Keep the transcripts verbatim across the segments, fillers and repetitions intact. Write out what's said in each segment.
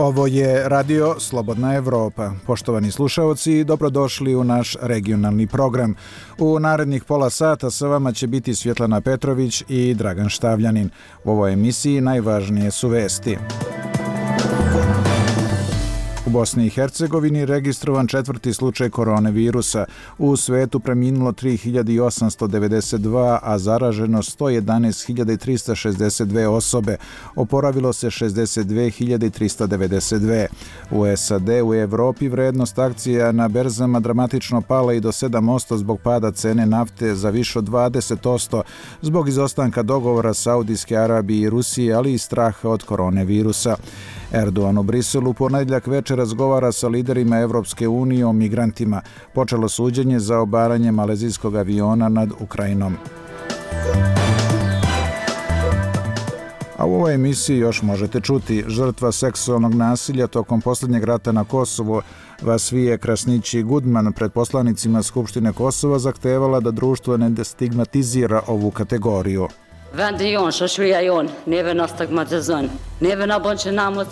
Ovo je Radio Slobodna Evropa. Poštovani slušaoci, dobrodošli u naš regionalni program. U narednih pola sata sa vama će biti Svjetlana Petrović i Dragan Štavljanin. U ovoj emisiji najvažnije su vesti. U Bosni i Hercegovini registrovan četvrti slučaj koronavirusa. U svetu preminulo tri hiljade osamsto devedeset dva, a zaraženo sto jedanaest hiljada trista šezdeset dve osobe. Oporavilo se šezdeset dve hiljade trista devedeset dve. U S A D u Evropi vrednost akcija na berzama dramatično pala i do sedam posto zbog pada cene nafte za više od dvadeset posto zbog izostanka dogovora Saudijske Arabije i Rusije, ali i straha od koronavirusa. Erdogan u Briselu ponedjeljak večer razgovara sa liderima Evropske unije o migrantima. Počelo suđenje za obaranje malezijskog aviona nad Ukrajinom. A u ovoj emisiji još možete čuti: žrtva seksualnog nasilja tokom posljednjeg rata na Kosovo, Vasvije Krasnići Gudman, pred poslanicima Skupštine Kosova zahtevala da društvo ne stigmatizira ovu kategoriju.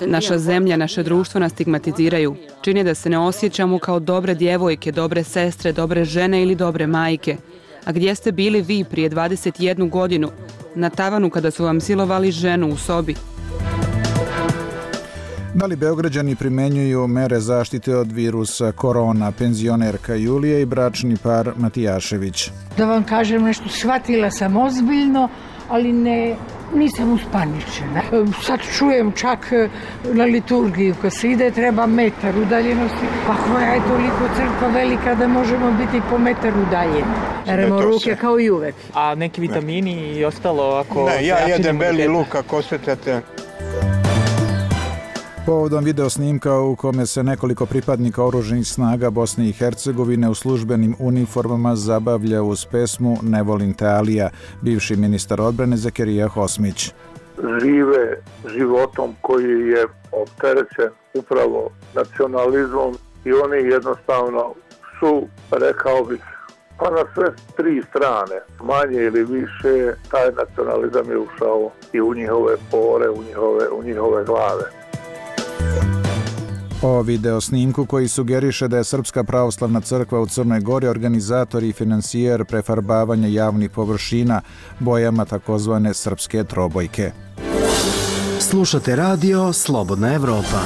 Naša zemlja, naše društvo nas stigmatiziraju. Čini da se ne osjećamo kao dobre djevojke, dobre sestre, dobre žene ili dobre majke. A gdje ste bili vi prije dvadeset jednu godinu? Na tavanu kada su vam silovali ženu u sobi. Da li Beograđani primenjuju mere zaštite od virusa korona? Penzionerka Julija i bračni par Matijašević. Da vam kažem nešto, shvatila sam ozbiljno, ali ne, nisam uspaničena. Sad čujem čak na liturgiju kad se ide treba metar udaljenosti. Pa koja je toliko crkva velika da možemo biti po metar udaljeni. Peremo ruke kao i uvek. A neki vitamini i ostalo ako... Ne, ja jedem beli luk ako osjećate. Povodom video snimka u kome se nekoliko pripadnika oružanih snaga Bosne i Hercegovine u službenim uniformama zabavlja uz pesmu Ne volim te Alija, bivši ministar odbrane Zakirija Hosmić. Žive životom koji je opterećen upravo nacionalizmom i oni jednostavno su, rekao bih, pa na sve tri strane, manje ili više, taj nacionalizam je ušao i u njihove pore, u njihove, u njihove glave. O video snimku koji sugeriše da je Srpska pravoslavna crkva u Crnoj Gori organizator i financijer prefarbavanja javnih površina bojama takozvane srpske trobojke. Slušate radio Slobodna Evropa.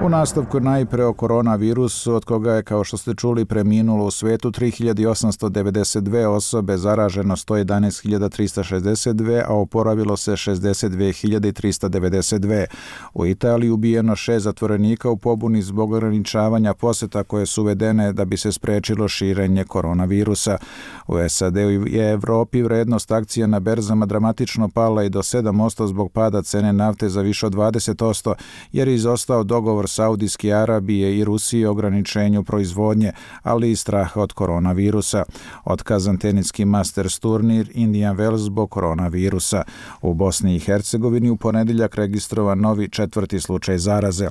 U nastavku najpre o koronavirusu, od koga je, kao što ste čuli, preminulo u svetu tri hiljade osamsto devedeset dve osobe, zaraženo sto jedanaest hiljada trista šezdeset dve, a oporavilo se šezdeset dve hiljade trista devedeset dve. U Italiji ubijeno šest zatvorenika u pobuni zbog ograničavanja poseta koje su uvedene da bi se sprečilo širenje koronavirusa. U S A D i Evropi vrednost akcija na berzama dramatično pala i do sedam posto zbog pada cene nafte za više od dvadeset posto, jer je izostao dogovor Saudijske Arabije i Rusije o ograničenju proizvodnje, ali i straha od koronavirusa. Otkazan teniski Masters turnir Indian Wells zbog koronavirusa. U Bosni i Hercegovini u ponedjeljak registrovan novi četvrti slučaj zaraze.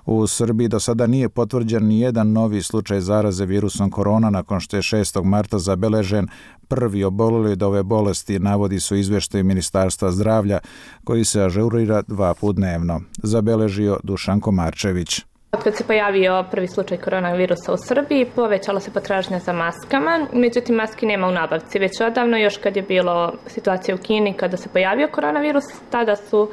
U Srbiji do sada nije potvrđen ni jedan novi slučaj zaraze virusom korona nakon što je šestog marta zabeležen prvi oboleli od ove bolesti, navodi su izvještaj Ministarstva zdravlja koji se ažurira dva put dnevno. Zabeležio Dušan Komarčević. Kad se pojavio prvi slučaj koronavirusa u Srbiji, povećala se potražnja za maskama, međutim maski nema u nabavci. Već odavno, još kad je bilo situacija u Kini, kada se pojavio koronavirus, tada su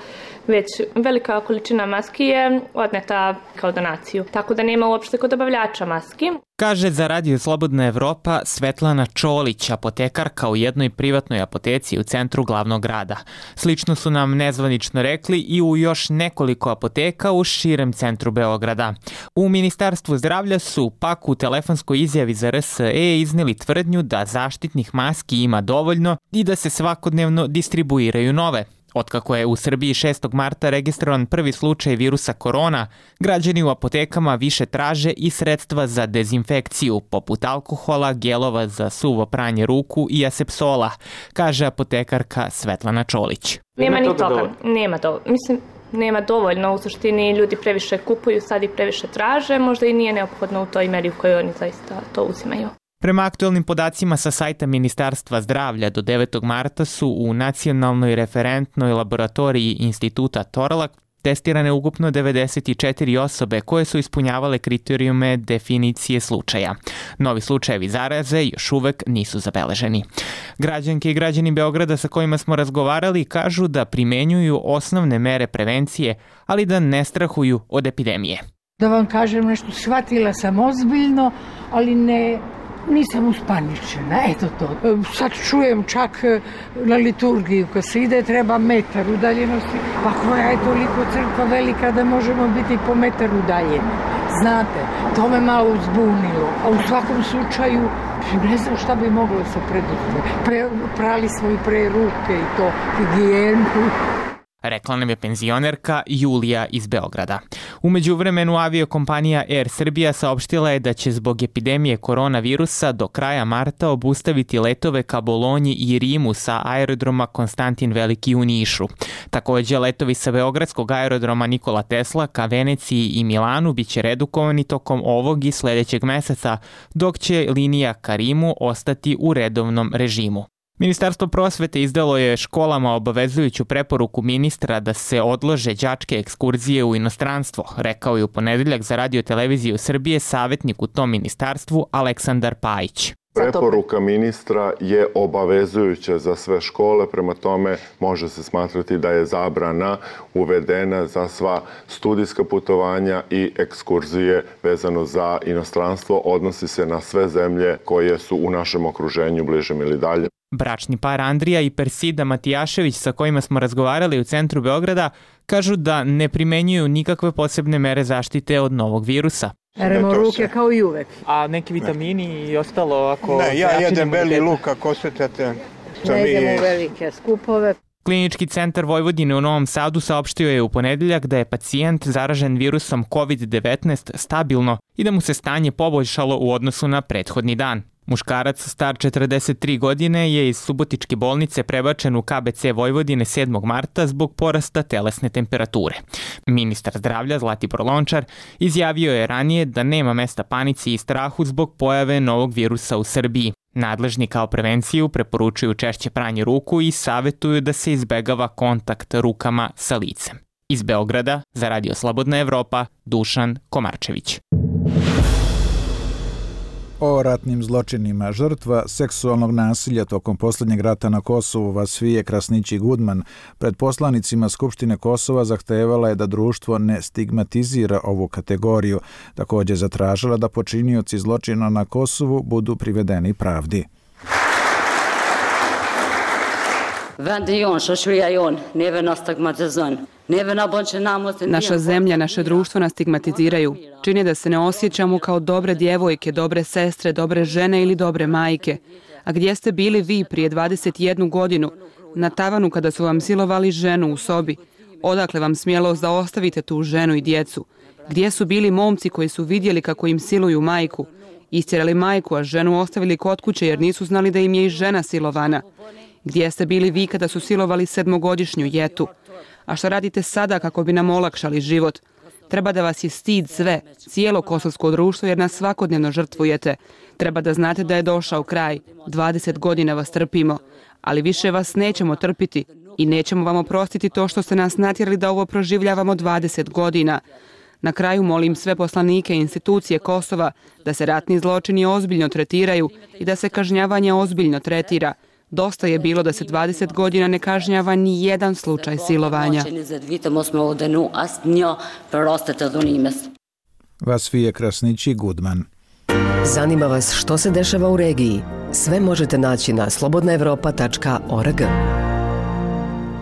već velika količina maski je odneta kao donaciju. Tako da nema uopšte kod dobavljača maski. Kaže za Radio Slobodna Evropa Svetlana Čolić, apotekarka u jednoj privatnoj apoteci u centru glavnog grada. Slično su nam nezvanično rekli i u još nekoliko apoteka u širem centru Beograda. U Ministarstvu zdravlja su pak u telefonskoj izjavi za R S E iznijeli tvrdnju da zaštitnih maski ima dovoljno i da se svakodnevno distribuiraju nove. Otkako je u Srbiji šestog marta registrovan prvi slučaj virusa korona, građani u apotekama više traže i sredstva za dezinfekciju, poput alkohola, gelova za suvo pranje ruku i asepsola, kaže apotekarka Svetlana Čolić. Nema ni toga, nema to. Mislim, nema dovoljno, u suštini ljudi previše kupuju, sad i previše traže, možda i nije neophodno u toj meri u kojoj oni zaista to uzimaju. Prema aktualnim podacima sa sajta Ministarstva zdravlja do devetog marta su u Nacionalnoj referentnoj laboratoriji Instituta Torlak Testirane ukupno devedeset četiri osobe koje su ispunjavale kriterijume definicije slučaja. Novi slučajevi zaraze još uvek nisu zabeleženi. Građanke i građani Beograda sa kojima smo razgovarali kažu da primenjuju osnovne mere prevencije, ali da ne strahuju od epidemije. Da vam kažem nešto, shvatila sam ozbiljno, ali ne... Nisam uspaničena, eto to. Sad čujem čak na liturgiju kad se ide treba metar udaljenosti, pa koja je toliko crkva velika da možemo biti po metar udaljeni. Znate, to me malo uzbunilo, a u svakom slučaju ne znam šta bi moglo se preduzeti. Pre, prali smo i pre ruke i to, higijenu. Rekla nam je penzionerka Julija iz Beograda. U međuvremenu aviokompanija Air Srbija saopštila je da će zbog epidemije koronavirusa do kraja marta obustaviti letove ka Bolonji i Rimu sa aerodroma Konstantin Veliki u Nišu. Takođe, letovi sa beogradskog aerodroma Nikola Tesla ka Veneciji i Milanu biće redukovani tokom ovog i sledećeg meseca, dok će linija ka Rimu ostati u redovnom režimu. Ministarstvo prosvete izdalo je školama obavezujuću preporuku ministra da se odlože đačke ekskurzije u inostranstvo, rekao je u ponedeljak za Radio televiziju Srbije savjetnik u tom ministarstvu Aleksandar Pajić. Preporuka ministra je obavezujuća za sve škole, prema tome može se smatrati da je zabrana uvedena za sva studijska putovanja i ekskurzije vezano za inostranstvo. Odnosi se na sve zemlje koje su u našem okruženju, bližem ili dalje. Bračni par Andrija i Persida Matijašević sa kojima smo razgovarali u centru Beograda kažu da ne primenjuju nikakve posebne mere zaštite od novog virusa. Peremo ruke kao i uvek. A neki vitamini i ostalo ako... Ne, ja jedem beli luk ako osjećate. Ne idemo u velike skupove. Klinički centar Vojvodine u Novom Sadu saopštio je u ponedeljak da je pacijent zaražen virusom kovid devetnaest stabilno i da mu se stanje poboljšalo u odnosu na prethodni dan. Muškarac star četrdeset tri godine je iz Subotičke bolnice prebačen u K B C Vojvodine sedmog marta zbog porasta telesne temperature. Ministar zdravlja Zlatibor Lončar izjavio je ranije da nema mesta panici i strahu zbog pojave novog virusa u Srbiji. Nadležni kao prevenciju preporučuju češće pranje ruku i savjetuju da se izbegava kontakt rukama sa licem. Iz Beograda za Radio Slobodna Evropa, Dušan Komarčević. O ratnim zločinima žrtva seksualnog nasilja tokom posljednjeg rata na Kosovu Vasfije Krasnići Gudman pred poslanicima Skupštine Kosova zahtevala je da društvo ne stigmatizira ovu kategoriju. Također zatražila da počinioci zločina na Kosovu budu privedeni pravdi. Naša zemlja, naše društvo nas stigmatiziraju. Čini da se ne osjećamo kao dobre djevojke, dobre sestre, dobre žene ili dobre majke. A gdje ste bili vi prije dvadeset jednu godinu, na tavanu kada su vam silovali ženu u sobi? Odakle vam smjelost da ostavite tu ženu i djecu? Gdje su bili momci koji su vidjeli kako im siluju majku? Istjerali majku, a ženu ostavili kod kuće jer nisu znali da im je i žena silovana. Gdje ste bili vi kada su silovali sedmogodišnju Jetu? A što radite sada kako bi nam olakšali život? Treba da vas je stid sve, cijelo kosovsko društvo jer nas svakodnevno žrtvujete. Treba da znate da je došao kraj. dvadeset godina vas trpimo, ali više vas nećemo trpiti i nećemo vam oprostiti to što ste nas natjerali da ovo proživljavamo dvadeset godina. Na kraju molim sve poslanike i institucije Kosova da se ratni zločini ozbiljno tretiraju i da se kažnjavanje ozbiljno tretira. Dosta je bilo da se dvadeset godina ne kažnjava ni jedan slučaj silovanja. Vasfije Krasnići Gudman. Zanima vas što se dešava u regiji? Sve možete naći na slobodna evropa tačka org.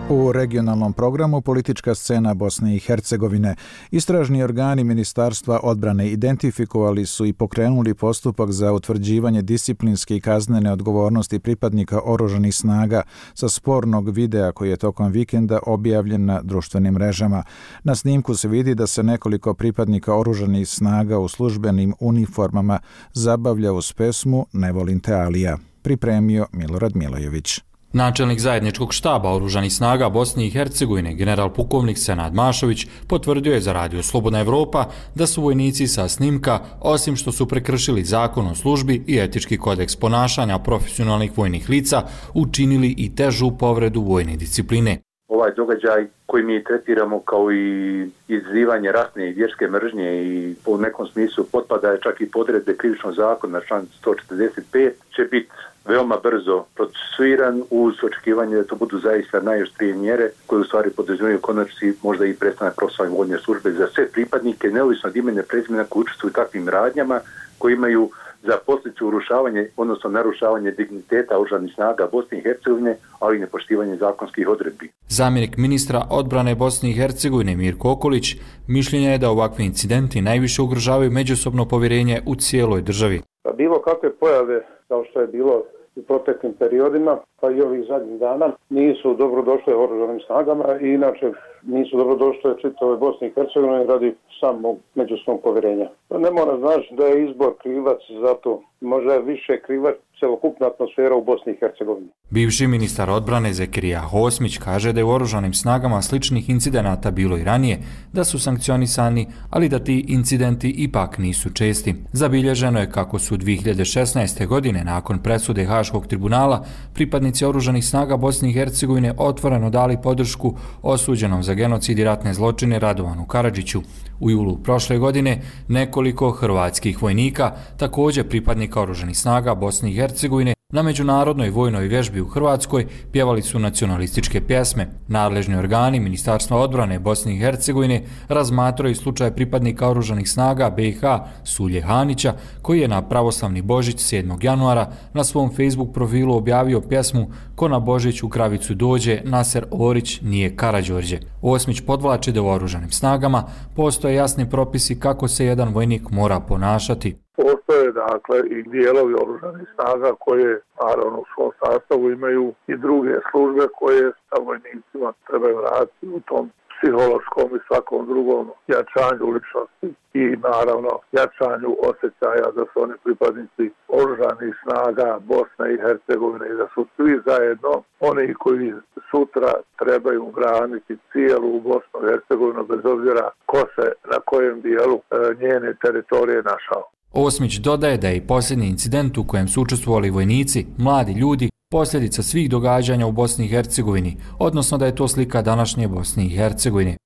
U regionalnom programu politička scena Bosne i Hercegovine istražni organi Ministarstva odbrane identifikovali su i pokrenuli postupak za utvrđivanje disciplinske i kaznene odgovornosti pripadnika oružanih snaga sa spornog videa koji je tokom vikenda objavljen na društvenim mrežama. Na snimku se vidi da se nekoliko pripadnika oružanih snaga u službenim uniformama zabavlja uz pesmu Ne volim te Alija. Pripremio Milorad Milojević. Načelnik zajedničkog štaba oružanih snaga Bosne i Hercegovine, general pukovnik Senad Mašović, potvrdio je za Radio Slobodna Evropa da su vojnici sa snimka, osim što su prekršili zakon o službi i etički kodeks ponašanja profesionalnih vojnih lica, učinili i težu povredu vojne discipline. ovaj događaj koji mi tretiramo kao i izazivanje ratne i vjerske mržnje i u nekom smislu potpada je čak i podredbe krivičnog zakona, član sto četrdeset pet, će biti veoma brzo procesuiran uz očekivanje da to budu zaista najoštrije mjere koje u stvari podrazumijevaju konačnici možda i prestanak profesionalne vojne službe za sve pripadnike, neovisno od imena i prezimena koji učestvuju u takvim radnjama, koji imaju za posljedicu urušavanje, odnosno narušavanje digniteta oružanih snaga Bosne i Hercegovine, ali i nepoštivanje zakonskih odredbi. Zamjenik ministra odbrane Bosne i Hercegovine Mirko Okolić mišljenja je da ovakvi incidenti najviše ugrožavaju međusobno povjerenje u cijeloj državi. Pa bilo kakve pojave, kao što je bilo u proteklim periodima, pa i ovih zadnjih dana, nisu dobro došle oružanim snagama i inače nisu dobro došle čitave Bosne i Hercegovine radi samog međusobnog povjerenja. Ne mora znači da je izbor krivac za to, možda je više krivac celokupna atmosfera u Bosni i Hercegovini. Bivši ministar odbrane Zekirija Hosmić kaže da je u oružanim snagama sličnih incidenata bilo i ranije, da su sankcionisani, ali da ti incidenti ipak nisu česti. Zabilježeno je kako su dvije hiljade šesnaeste. godine nakon presude Haškog tribunala pripadnici oružanih snaga Bosne i Hercegovine otvoreno dali podršku osuđenom za genocid i ratne zločine Radovanu Karadžiću. U julu prošle godine nekoliko hrvatskih vojnika, također pripadnika oružanih snaga Bosne i Hercegovine, na međunarodnoj vojnoj vježbi u Hrvatskoj pjevali su nacionalističke pjesme. Nadležni organi Ministarstva odbrane Bosne i Hercegovine razmatraju slučaj pripadnika oružanih snaga B i H Sulje Hanića, koji je na pravoslavni Božić sedmog januara na svom Facebook profilu objavio pjesmu Ko na Božić u kravicu dođe, Naser Orić nije Karađorđe. Osmić podvlači da u oružanim snagama postoje jasni propisi kako se jedan vojnik mora ponašati. Postoje dakle i dijelovi oružanih snaga koje naravno u svom sastavu imaju i druge službe koje sa vojnicima trebaju raditi u tom psihološkom i svakom drugom jačanju ličnosti i naravno jačanju osjećaja da su oni pripadnici oružanih snaga Bosne i Hercegovine i da su svi zajedno oni koji sutra trebaju braniti cijelu Bosnu i Hercegovinu bez obzira ko se na kojem dijelu njene teritorije našao. Osmić dodaje da je i posljednji incident u kojem su učestvovali vojnici, mladi ljudi, posljedica svih događanja u Bosni i Hercegovini, odnosno da je to slika današnje Bosne i Hercegovine.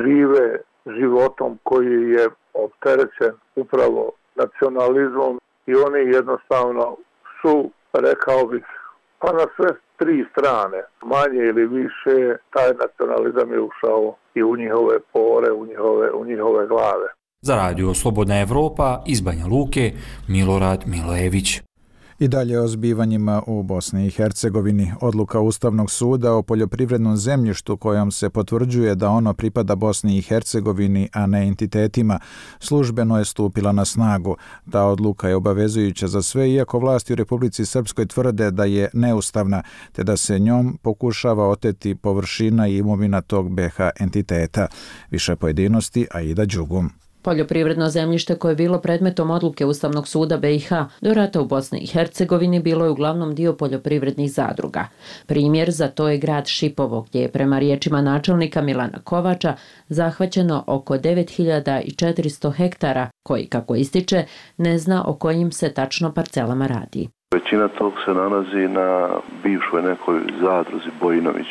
Žive životom koji je opterećen upravo nacionalizmom i oni jednostavno su, rekao bih, pa na sve tri strane, manje ili više, taj nacionalizam je ušao i u njihove pore, u njihove, u njihove glave. Za radio Slobodna Evropa iz Banja Luke, Milorad Milojević. I dalje o zbivanjima u Bosni i Hercegovini. Odluka Ustavnog suda o poljoprivrednom zemljištu kojom se potvrđuje da ono pripada Bosni i Hercegovini, a ne entitetima, službeno je stupila na snagu. Ta odluka je obavezujuća za sve, iako vlasti u Republici Srpskoj tvrde da je neustavna, te da se njom pokušava oteti površina i imovina tog B iH entiteta. Više pojedinosti, Aida Đugum. Poljoprivredno zemljište koje je bilo predmetom odluke Ustavnog suda B iH do rata u Bosni i Hercegovini bilo je uglavnom dio poljoprivrednih zadruga. Primjer za to je grad Šipovo, gdje je prema riječima načelnika Milana Kovača zahvaćeno oko devet hiljada četiristo hektara, koji, kako ističe, ne zna o kojim se tačno parcelama radi. Većina tog se nalazi na bivšoj nekoj zadruzi Bojinović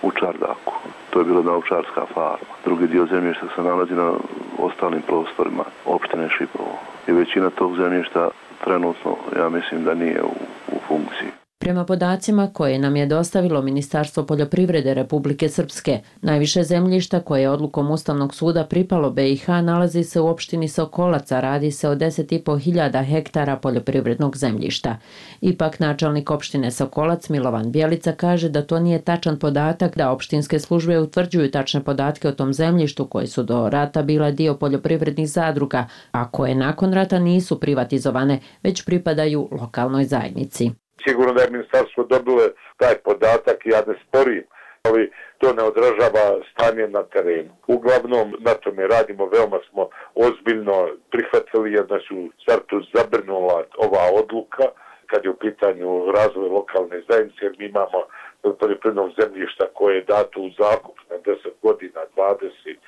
u Čardaku. To je bila naučarska farma. Drugi dio zemljišta se nalazi na ostalim prostorima opštine Šipovo. I većina tog zemljišta trenutno, ja mislim da nije u, u funkciji. Prema podacima koje nam je dostavilo Ministarstvo poljoprivrede Republike Srpske, najviše zemljišta koje je odlukom Ustavnog suda pripalo B iH nalazi se u opštini Sokolac, a radi se o deset i po hiljada hektara poljoprivrednog zemljišta. Ipak načelnik opštine Sokolac Milovan Bjelica kaže da to nije tačan podatak, da opštinske službe utvrđuju tačne podatke o tom zemljištu koje su do rata bila dio poljoprivrednih zadruga, a koje nakon rata nisu privatizovane, već pripadaju lokalnoj zajednici. Sigurno da je ministarstvo dobilo taj podatak i ja ne sporim, ali to ne odražava stanje na terenu. Uglavnom na tome radimo, veoma smo ozbiljno prihvatili jer nas u startu zabrinula ova odluka kad je u pitanju razvoj lokalne zajednice, jer mi imamo poljoprivrednog zemljišta koje je dato u zakup na deset godina, dvadeset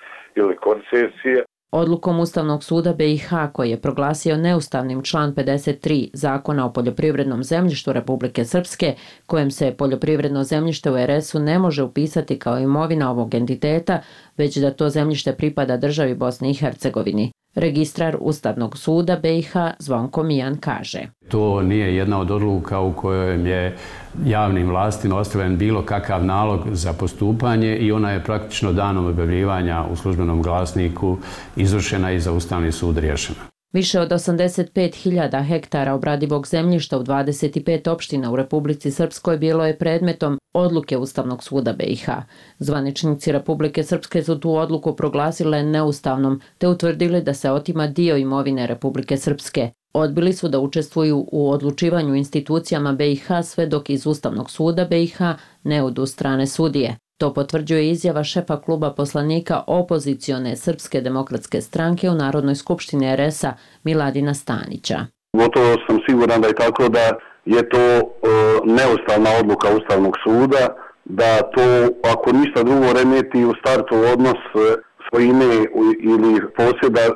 ili koncesije. Odlukom Ustavnog suda B i H koji je proglasio neustavnim član pedeset tri Zakona o poljoprivrednom zemljištu Republike Srpske, kojem se poljoprivredno zemljište u er es-u ne može upisati kao imovina ovog entiteta, već da to zemljište pripada državi Bosni i Hercegovini. Registrar Ustavnog suda B i H Zvonko Mijan kaže: To nije jedna od odluka u kojoj je javnim vlastima ostavljen bilo kakav nalog za postupanje i ona je praktično danom objavljivanja u službenom glasniku izvršena i za Ustavni sud riješena. Više od osamdeset pet hiljada hektara obradivog zemljišta u dvadeset pet opština u Republici Srpskoj bilo je predmetom odluke Ustavnog suda B i H. Zvaničnici Republike Srpske su tu odluku proglasile neustavnom te utvrdili da se otima dio imovine Republike Srpske. Odbili su da učestvuju u odlučivanju institucijama B i H sve dok iz Ustavnog suda B i H ne odu strane sudije. To potvrđuje izjava šefa kluba poslanika opozicione Srpske demokratske stranke u Narodnoj skupštini er es-a Miladina Stanića. Gotovo sam siguran da je tako da je to e, neustavna odluka Ustavnog suda, da to ako ništa drugo remeti u startu odnos e, svojine ili posjeda e,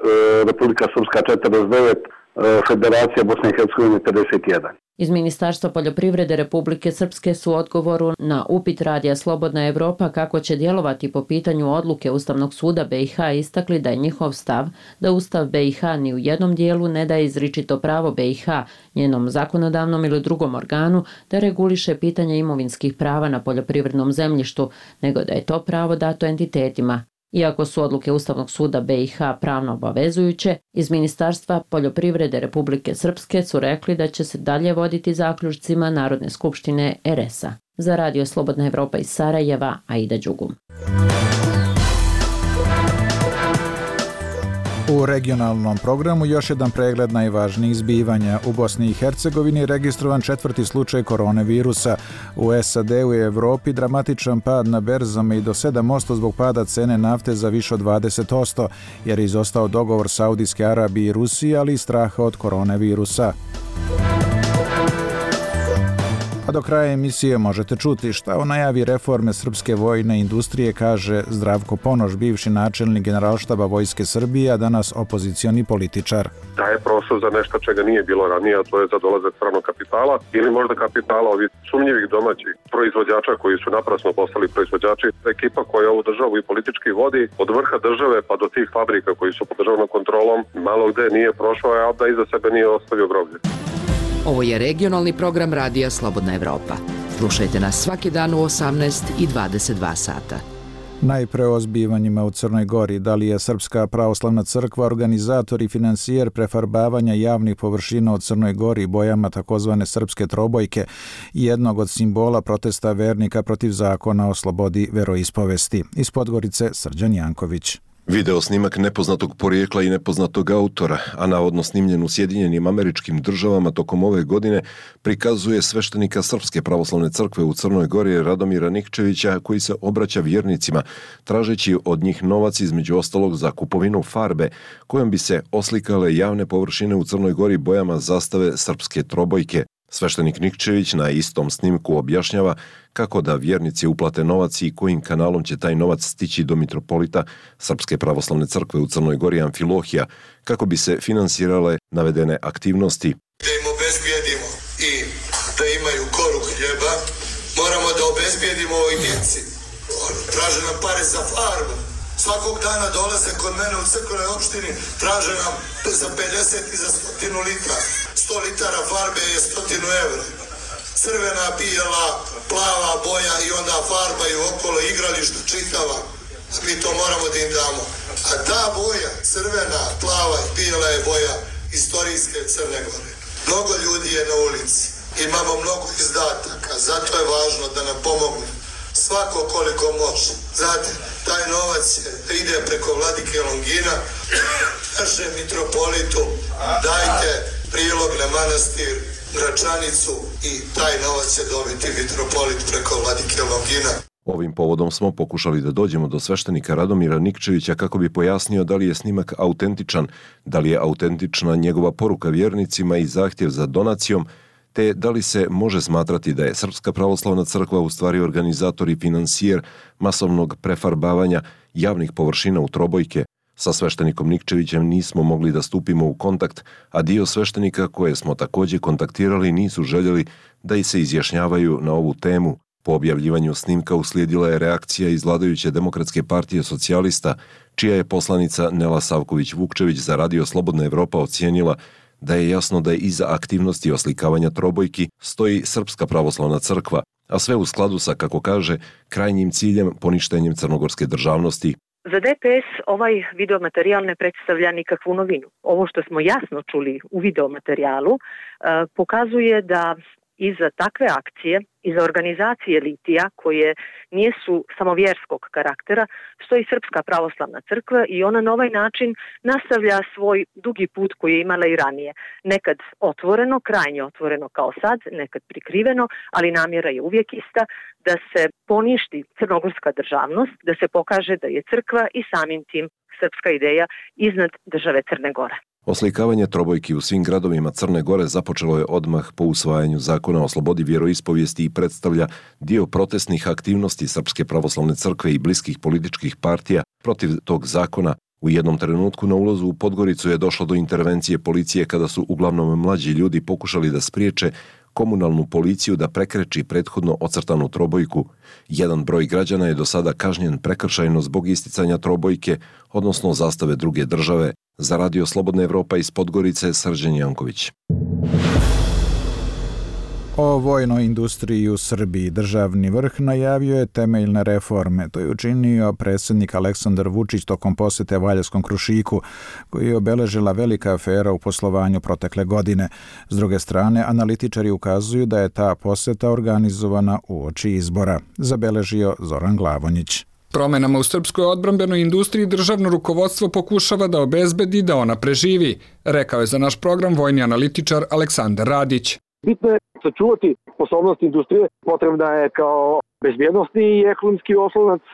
Republika Srpska četrdeset devet, Federacija Bosne i Hercegovine pedeset jedan. Iz Ministarstva poljoprivrede Republike Srpske su odgovoru na upit Radija Slobodna Evropa kako će djelovati po pitanju odluke Ustavnog suda B i H istakli da je njihov stav da Ustav B i H ni u jednom dijelu ne daje izričito pravo B i H, njenom zakonodavnom ili drugom organu, da reguliše pitanje imovinskih prava na poljoprivrednom zemljištu, nego da je to pravo dato entitetima. Iako su odluke Ustavnog suda B i H pravno obavezujuće, iz Ministarstva poljoprivrede Republike Srpske su rekli da će se dalje voditi zaključcima Narodne skupštine er es-a. Za Radio Slobodna Evropa iz Sarajeva, Aida Đugum. U regionalnom programu još jedan pregled najvažnijih zbivanja. U Bosni i Hercegovini je registrovan četvrti slučaj koronavirusa. U es a de-u i Evropi dramatičan pad na berzama i do sedam posto zbog pada cene nafte za više od dvadeset posto, jer je izostao dogovor Saudijske Arabije i Rusije, ali i straha od koronavirusa. A do kraja emisije možete čuti šta o najavi reforme srpske vojne industrije kaže Zdravko Ponoš, bivši načelnik Generalštaba Vojske Srbije, a danas opozicioni političar. Daje prostor za nešto čega nije bilo ranije, a to je za dolazak stranog kapitala ili možda kapitala ovih sumnjivih domaćih proizvođača koji su naprasno postali proizvođači. Ekipa koja ovu državu i politički vodi od vrha države pa do tih fabrika koji su pod državnom kontrolom malo gde nije prošao, a da iza sebe nije ostavio groblje. Ovo je regionalni program Radija Slobodna Evropa. Slušajte nas svaki dan u osamnaest i dvadeset dva sata. Najpre o zbivanjima u Crnoj Gori. Da li je Srpska pravoslavna crkva organizator i finansijer prefarbavanja javnih površina u Crnoj Gori bojama takozvane srpske trobojke, jednog od simbola protesta vernika protiv zakona o slobodi veroispovesti? Iz Podgorice Srđan Janković. Video snimak nepoznatog porijekla i nepoznatog autora, a navodno snimljen u Sjedinjenim Američkim Državama tokom ove godine, prikazuje sveštenika Srpske pravoslavne crkve u Crnoj Gori Radomira Nikčevića koji se obraća vjernicima, tražeći od njih novac između ostalog za kupovinu farbe, kojom bi se oslikale javne površine u Crnoj Gori bojama zastave srpske trobojke. Sveštenik Nikčević na istom snimku objašnjava kako da vjernici uplate novac i kojim kanalom će taj novac stići do mitropolita Srpske pravoslavne crkve u Crnoj Gori Amfilohija, kako bi se finansirale navedene aktivnosti. Da im obezbijedimo i da imaju koru hljeba, moramo da obezbijedimo ovoj djeci. Traže nam pare za farbu. Svakog dana dolaze kod mene u crkvenoj opštini, traže nam za pedeset i za stotinu litra. sto litara farbe je stotinu evra. Crvena, bijela, plava boja i onda farbaju okolo igralištu čitava. Mi to moramo da im damo. A ta boja, crvena, plava i bijela je boja istorijske Crne Gore. Mnogo ljudi je na ulici. Imamo mnogo izdataka, zato je važno da nam pomogu. Svako koliko može. Znate, taj novac ide preko vladike Longina, našem mitropolitu, dajte prilog na manastir Gračanicu i taj novac će dobiti mitropolit preko vladike Longina. Ovim povodom smo pokušali da dođemo do sveštenika Radomira Nikčevića kako bi pojasnio da li je snimak autentičan, da li je autentična njegova poruka vjernicima i zahtjev za donacijom, te da li se može smatrati da je Srpska pravoslavna crkva u stvari organizator i finansijer masovnog prefarbavanja javnih površina u trobojke. Sa sveštenikom Nikčevićem nismo mogli da stupimo u kontakt, a dio sveštenika koje smo također kontaktirali nisu željeli da i se izjašnjavaju na ovu temu. Po objavljivanju snimka uslijedila je reakcija iz vladajuće Demokratske partije socijalista, čija je poslanica Nela Savković-Vukčević za Radio Slobodna Evropa ocijenila da je jasno da je iza aktivnosti oslikavanja trobojki stoji Srpska pravoslavna crkva, a sve u skladu sa, kako kaže, krajnjim ciljem poništenjem crnogorske državnosti. Za D P S ovaj videomaterijal ne predstavlja nikakvu novinu. Ovo što smo jasno čuli u videomaterijalu pokazuje da iza takve akcije, iza organizacije litija koje nisu samo vjerskog karaktera, stoji Srpska pravoslavna crkva i ona na ovaj način nastavlja svoj dugi put koji je imala i ranije. Nekad otvoreno, krajnje otvoreno kao sad, nekad prikriveno, ali namjera je uvijek ista, da se poništi crnogorska državnost, da se pokaže da je crkva i samim tim srpska ideja iznad države Crne Gore. Oslikavanje trobojki u svim gradovima Crne Gore započelo je odmah po usvajanju zakona o slobodi vjeroispovijesti i predstavlja dio protestnih aktivnosti Srpske pravoslavne crkve i bliskih političkih partija protiv tog zakona. U jednom trenutku na ulazu u Podgoricu je došlo do intervencije policije kada su uglavnom mlađi ljudi pokušali da spriječe komunalnu policiju da prekreči prethodno ocrtanu trobojku. Jedan broj građana je do sada kažnjen prekršajno zbog isticanja trobojke, odnosno zastave druge države. Za Radio Slobodna Evropa iz Podgorice, Srđan Janković. O vojnoj industriji u Srbiji državni vrh najavio je temeljne reforme. To je učinio predsjednik Aleksandar Vučić tokom posjete Valjevskom Krušiku, koji je obeležila velika afera u poslovanju protekle godine. S druge strane, analitičari ukazuju da je ta posjeta organizovana uoči izbora, zabeležio Zoran Glavonjić. Promenama u srpskoj odbrambenoj industriji državno rukovodstvo pokušava da obezbedi da ona preživi, rekao je za naš program vojni analitičar Aleksandar Radić. Bitno je sačuvati sposobnost industrije, potrebna je kao bezbjednosni i ekonomski oslonac,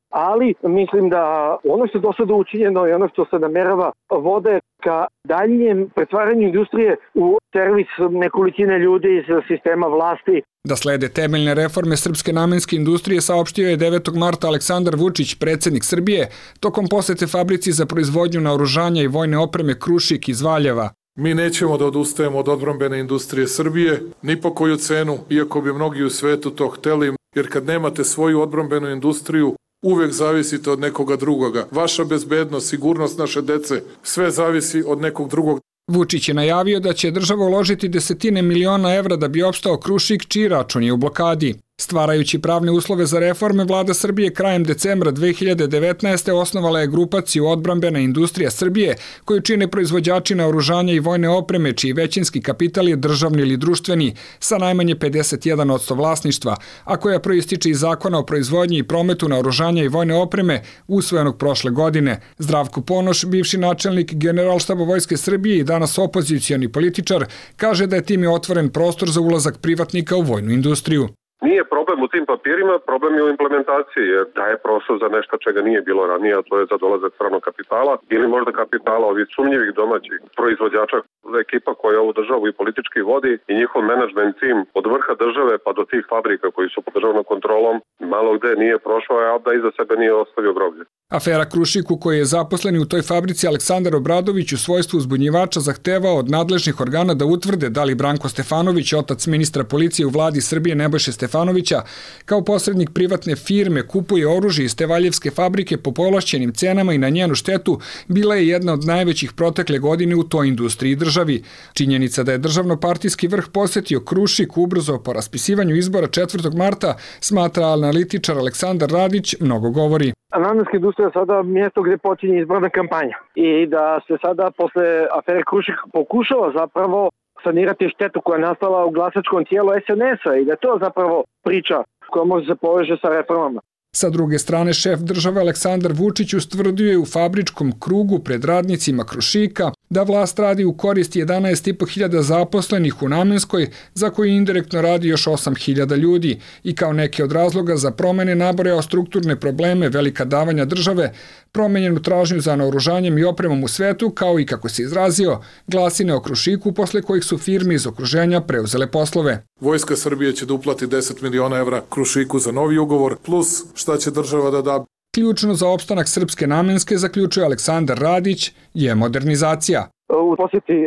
ali mislim da ono što je do sada učinjeno i ono što se namerava vode ka daljnjem pretvaranju industrije u servis nekolicine ljudi iz sistema vlasti. Da slede temeljne reforme srpske namenske industrije saopštio je devetog marta Aleksandar Vučić, predsjednik Srbije, tokom posete fabrici za proizvodnju naoružanja i vojne opreme Krušik iz Valjeva. Mi nećemo da odustajemo od odbrambene industrije Srbije, ni po koju cenu, iako bi mnogi u svetu to hteli, jer kad nemate svoju odbrambenu industriju, uvijek zavisite od nekoga drugoga. Vaša bezbednost, sigurnost naše dece, sve zavisi od nekog drugog. Vučić je najavio da će država uložiti desetine miliona evra da bi opstao Krušik, čiji račun je u blokadi. Stvarajući pravne uslove za reforme, vlada Srbije krajem decembra dve hiljade devetnaeste. osnovala je grupaciju Odbrambena industrija Srbije, koju čine proizvođači naoružanja i vojne opreme, čiji većinski kapital je državni ili društveni, sa najmanje pedeset jedan posto vlasništva, a koja proističe iz zakona o proizvodnji i prometu naoružanja i vojne opreme, usvojenog prošle godine. Zdravko Ponoš, bivši načelnik Generalštaba Vojske Srbije i danas opozicioni političar, kaže da je time otvoren prostor za ulazak privatnika u vojnu industriju. Nije problem u tim papirima, problem je u implementaciji, jer daje prostor za nešto čega nije bilo ranije, a to je za dolazak stranog kapitala ili možda kapitala ovih sumnjivih domaćih proizvođača, ekipa koja ovu državu i politički vodi i njihov menadžment tim od vrha države pa do tih fabrika koji su pod državnom kontrolom malo gde nije prošao, a da iza sebe nije ostavio groblje. Afera Krušiku, koji je zaposleni u toj fabrici Aleksandar Obradović u svojstvu uzbunjivača zahtevao od nadležnih organa da utvrde da li Branko Stefanović, otac ministra policije u vladi Srbije Nebojše Stefanovića, kao posrednik privatne firme kupuje oružje iz te valjevske fabrike po povlašćenim cenama i na njenu štetu, bila je jedna od najvećih protekle godine u toj industriji državi. Činjenica da je državno-partijski vrh posjetio Krušik ubrzo po raspisivanju izbora četvrtog marta, smatra analitičar Aleksandar Radić, mnogo govori. Namenska industrija je sada mjesto gdje počinje izborna kampanja i da se sada posle afere Krušik pokušava zapravo sanirati štetu koja je nastala u glasačkom tijelu S N S-a i da je to zapravo priča koja može se poveže sa reformama. Sa druge strane, šef države Aleksandar Vučić ustvrdio je u fabričkom krugu pred radnicima Krušika da vlast radi u korist jedanaest i po hiljada zaposlenih u Namenskoj, za koji indirektno radi još osam hiljada ljudi, i kao neke od razloga za promene nabrojao strukturne probleme, velika davanja države, promenjenu tražnju za naoružanjem i opremom u svetu, kao i, kako se izrazio, glasine o Krušiku posle kojih su firme iz okruženja preuzele poslove. Vojska Srbije će da uplati deset miliona evra Krušiku za novi ugovor, plus šta će država da da Ključno za opstanak srpske namenske, zaključuje Aleksandar Radić, je modernizacija. U posjeti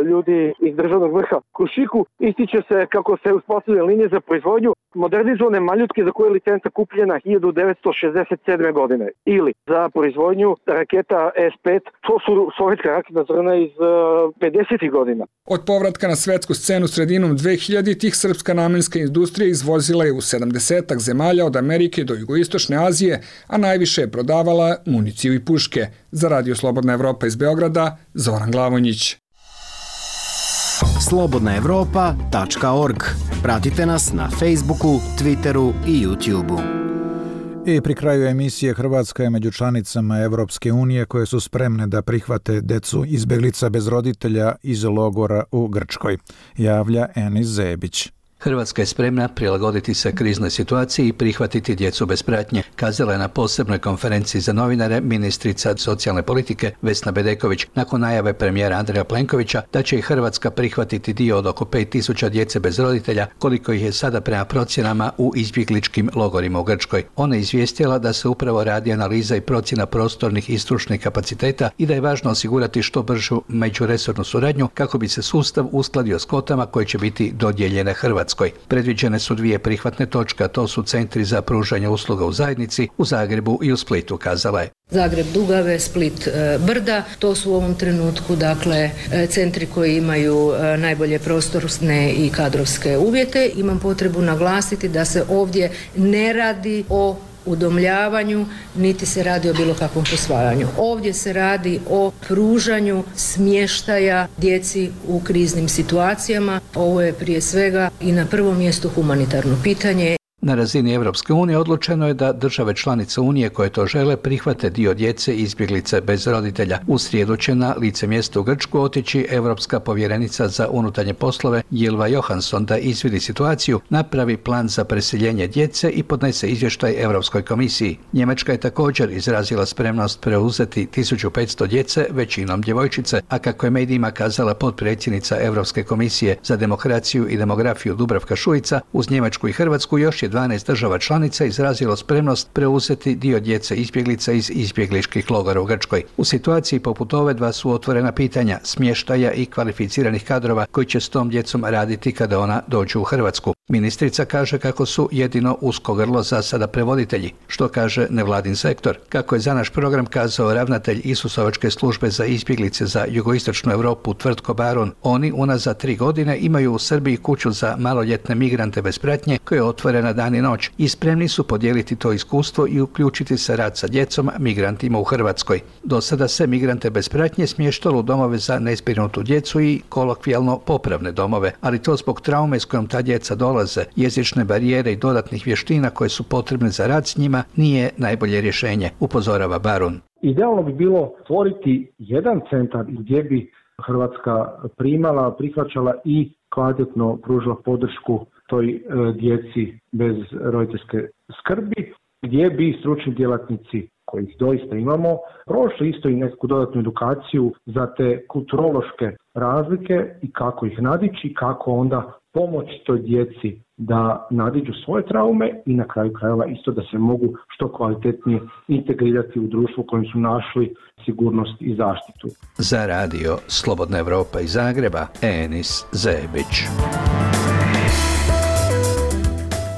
ljudi iz državnog vrha Krušiku ističe se kako se uspostavljaju linije za proizvodnju modernizovane maljutke za koje je licenca kupljena hiljadu devetsto šezdeset sedme. godine ili za proizvodnju raketa S pet, to su sovjetska raketna zrna iz pedesetih godina. Od povratka na svetsku scenu sredinom dvehiljaditih srpska namenska industrija izvozila je u sedamdesetak zemalja od Amerike do jugoistočne Azije, a najviše je prodavala municiju i puške. Za Radio Slobodna Evropa iz Beograda, Zoran Glavonjić. slobodna evropa tačka org. Pratite nas na Facebooku, Twitteru i YouTubeu. I pri kraju emisije Hrvatska je među članicama Evropske unije koje su spremne da prihvate decu izbeglica bez roditelja iz logora u Grčkoj, javlja Enis Zebić. Hrvatska je spremna prilagoditi se kriznoj situaciji i prihvatiti djecu bez pratnje, kazala je na posebnoj konferenciji za novinare ministrica socijalne politike Vesna Bedeković nakon najave premijera Andreja Plenkovića da će i Hrvatska prihvatiti dio od oko pet tisuća djece bez roditelja, koliko ih je sada prema procjenama u izbjegličkim logorima u Grčkoj. Ona je izvijestila da se upravo radi analiza i procjena prostornih i stručnih kapaciteta i da je važno osigurati što bržu međuresornu suradnju kako bi se sustav uskladio s kvotama koje će biti dodijeljene Hrvatskoj. Predviđene su dvije prihvatne točke, a to su centri za pružanje usluga u zajednici u Zagrebu i u Splitu, kazala je. Zagreb Dugave, Split Brda, to su u ovom trenutku dakle centri koji imaju najbolje prostorne i kadrovske uvjete. Imam potrebu naglasiti da se ovdje ne radi o udomljavanju, niti se radi o bilo kakvom posvajanju. Ovdje se radi o pružanju smještaja djeci u kriznim situacijama. Ovo je prije svega i na prvom mjestu humanitarno pitanje. Na razini Evropske unije odlučeno je da države članice Unije koje to žele prihvate dio djece izbjeglice bez roditelja. U srijedu će na lice mjesta u Grčku otići Europska povjerenica za unutarnje poslove Ylva Johansson da izvidi situaciju, napravi plan za preseljenje djece i podnese izvještaj Europskoj komisiji. Njemačka je također izrazila spremnost preuzeti tisuću petsto djece, većinom djevojčice, a kako je medijima kazala potpredsjednica Europske komisije za demokraciju i demografiju Dubravka Šuica, uz Njemačku i Hrvatsku još je dvanaest država članica izrazilo spremnost preuzeti dio djece izbjeglica iz izbjegličkih logora u Grčkoj. U situaciji poput ove dva su otvorena pitanja smještaja i kvalificiranih kadrova koji će s tom djecom raditi kada ona dođu u Hrvatsku. Ministrica kaže kako su jedino usko grlo za sada prevoditelji, što kaže nevladin sektor. Kako je za naš program kazao ravnatelj Isusovačke službe za izbjeglice za jugoistočnu Europu Tvrtko Baron, oni unazad tri godine imaju u Srbiji kuću za maloljetne migrante bez pratnje koja je otvorena dan i noć i spremni su podijeliti to iskustvo i uključiti se rad sa djecom migrantima u Hrvatskoj. Do sada se migrante bez pratnje smještalo u domove za nezbrinutu djecu i kolokvijalno popravne domove, ali to zbog traume s kojom ta djeca dolaze, jezične barijere i dodatnih vještina koje su potrebne za rad s njima nije najbolje rješenje, upozorava Baron. Idealno bi bilo stvoriti jedan centar gdje bi Hrvatska primala, prihvaćala i kvalitetno pružila podršku toj e, djeci bez roditeljske skrbi, gdje bi stručni djelatnici kojih doista imamo prošli isto i neku dodatnu edukaciju za te kulturološke razlike i kako ih nadići, kako onda pomoći toj djeci da nadiđu svoje traume i na kraju krajeva isto da se mogu što kvalitetnije integrirati u društvu u kojem su našli sigurnost i zaštitu. Za radio Slobodna Evropa iz Zagreba, Enis Zebić.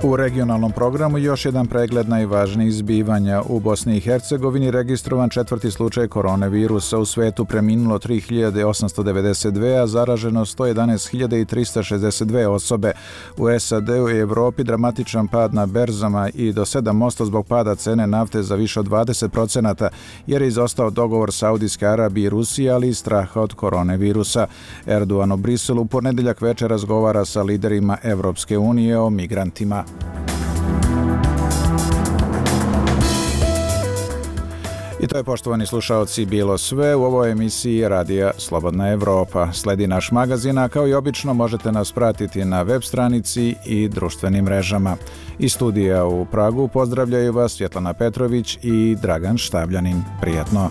U regionalnom programu još jedan pregled najvažnijih zbivanja. U Bosni i Hercegovini registrovan četvrti slučaj koronavirusa. U svetu preminulo tri hiljade osamsto devedeset dve, a zaraženo sto jedanaest hiljada trista šezdeset dve osobe. U S A D-u i Evropi dramatičan pad na berzama i do sedam posto zbog pada cene nafte za više od dvadeset procenata, jer je izostao dogovor Saudijske Arabije i Rusije, ali i straha od koronavirusa. Erdogan u Briselu u ponedjeljak večer razgovara sa liderima Evropske unije o migrantima. I to je, poštovani slušaoci, bilo sve u ovoj emisiji Radija Slobodna Evropa. Sledi naš magazin, a kao i obično možete nas pratiti na web stranici i društvenim mrežama. Iz studija u Pragu pozdravljaju vas Svjetlana Petrović i Dragan Štavljanin. Prijatno!